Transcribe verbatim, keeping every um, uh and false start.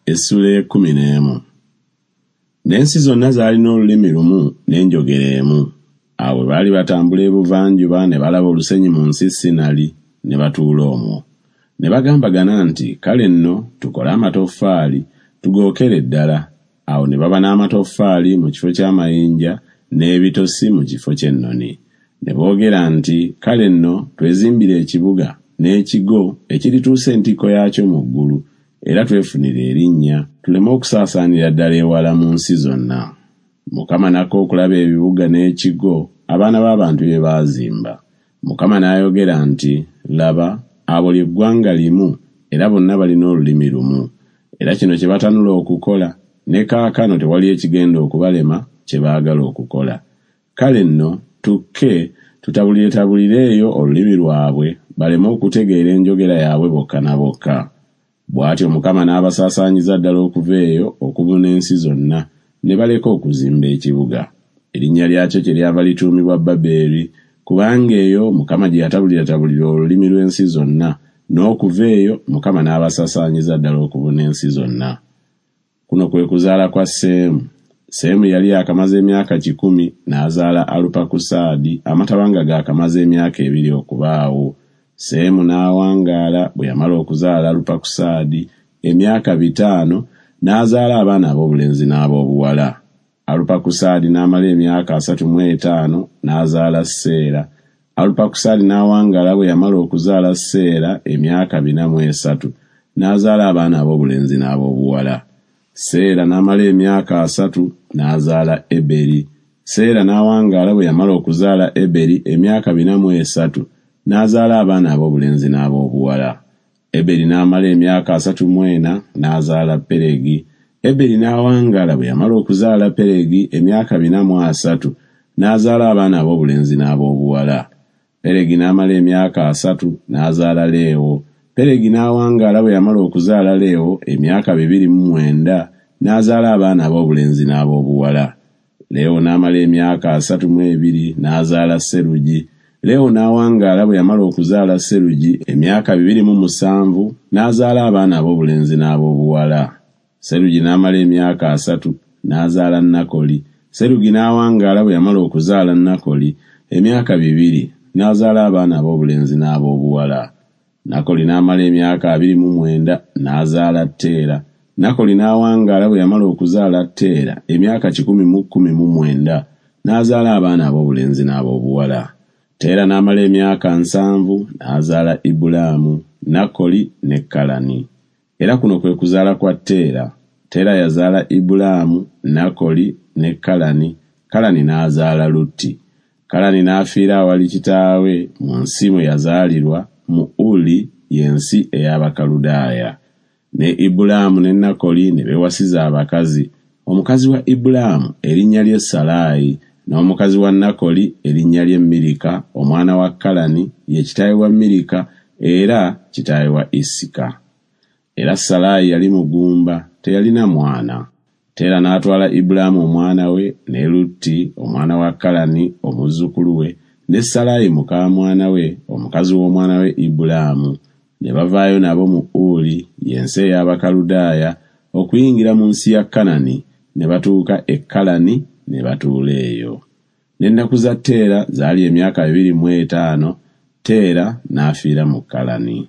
Essula ekkumi n'emu. N'ensi zonna zaalina olulimi lumu n'enjogera emu. Awo bwe baali batambula ebuvanjuba ne balaba olusenyi mu nsi Sinali, ne batuula omwo. Ne bagambagana nti, Kale nno tukole amatoffaali, tugookere ddala. Awo ne baba n'amatoffaali mu kifo ky'amayinja, n'ebitosi mu kifo ky'ennoni. Ne boogera nti, Kale nno twezimbire ekibuga n'ekigo ekirituusa entikko yaakyo mu ggulu, era twefunire erinnya, tuleme okusaasaanira ddala ewala mu nsi zonna. Mukama n'akka okulaba ebibuga n'ekigo abaana b'abantu bye baazimba. Mukama n'ayogera nti, Laba, abo lye ggwanga limu, era bonna balina olulimi lumu. Era kino kye batanula okukola, ne kaakano tewali ekigenda okubalema kye baagala okukola. Kale nno tukke tutabuliretabulire eyo olulimi lwabwe, baleme okutegeera enjogera yaabwe bokka na bokka. Bw'atyo Mukama n'abasaasaanyiza ddala okuva eyo okubuna ensi zonna, ne baleka okuzimba ekibuga. Erinnya lyakyo kyeryava lituumibwa Baberi, kubanga eyo Mukama gye yatabuliratabulira olulimi lw'ensi zonna, n'okuva eyo Mukama n'abasaasaanyiza ddala okubuna ensi zonna. Kuno kwe kuzaala kwa Seemu. Seemu yali yaakamaze emyaka kikumi n'azaala Alupakusaadi, amataba nga gaakamaze emyaka ebiri okubaawo. Seemu n'awangaala bwe yamala okuzaala Alupakusaadi emyaka bitaano, n'azaala abaana ab'obulenzi n'ab'obuwala. Alupakusaadi n'amala emyaka asatu mu etaano n'azaala Seera. Alupakusaadi n'awangaala bwe yamala okuzaala Seera emyaka bina mu esatu, n'azaala abaana ab'obulenzi n'ab'obuwala. Seera n'amala emyaka asatu n'azaala Eberi. Seera n'awangaala bwe yamala okuzaala Eberi emyaka bina mu esatu, n'azaala abaana ab'obulenzi n'ab'obuwala. Eberi n'amala emyaka asatu mu ena n'azaala Peregi. Eberi n'awangaala bwe yamala okuzaala Peregi emyaka bina mu asatu, n'azaala abaana ab'obulenzi n'ab'obuwala. Peregi n'amala emyaka asatu n'azaala Leewo. Peregi n'awangaala bwe yamala okuzaala Leewo emyaka bibiri mu mwenda, n'azaala abaana ab'obulenzi n'ab'obuwala. Leewo n'amala emyaka asatu mu ebiri n'azaala Serugi. Leewo n'awangaala bwe yamala okuzaala Serugi emyaka bibiri mu musanvu, n'azaala abaana ab'obulenzi n'ab'obuwala. Serugi n'amala emyaka asatu n'azaala Nakoli. Serugi n'awangaala bwe yamala okuzaala Nakoli emyaka bibiri, n'azaala abaana ab'obulenzi n'ab'obuwala. Nakoli n'amala emyaka abiri mu mwenda n'azaala Teera. Nakoli n'awangaala bwe yamala okuzaala Teera emyaka kikumi mu kkumi mu mwenda, n'azaala abaana ab'obulenzi n'ab'obuwala. Teera n'amala emyaka nsanvu n'azaala Ibulaamu, Nakoli ne Kalani. Era kuno kwe kuzaala kwa Teera. Teera yazaala Ibulaamu, Nakoli ne Kalani. Kalani n'azaala Lutti. Kalani n'afiira awali kitaawe mu nsi mwe yazaalirwa, mu Uli, y'ensi ey'Abakaludaaya. Ne Ibulaamu ne Nakoli ne beewasiza abakazi. Omukazi wa Ibulaamu erinnya lye Salaayi, n'omukazi wa Nakoli erinnya lye Mirika, omwana wa Kalani, ye kitaawe wa Mirika era kitaawe wa Isika. Era Salaayi yali mugumba, teyalina mwana. Teera n'atwala Ibulaamu omwana we, ne Lutti omwana wa Kalani omuzzukulu we, ne Salaayi muka mwana we, omukazi w'omwana we Ibulaamu, ne bavaayo nabo mu Uli, y'ensi ey'Abakaludaaya, okuyingira mu nsi ya Kanani, ne batuuka e Kalani ne batuula eyo. N'ennaku za Teera zaali emyaka bibiri mu etaano, Teera n'afiira mu Kalani.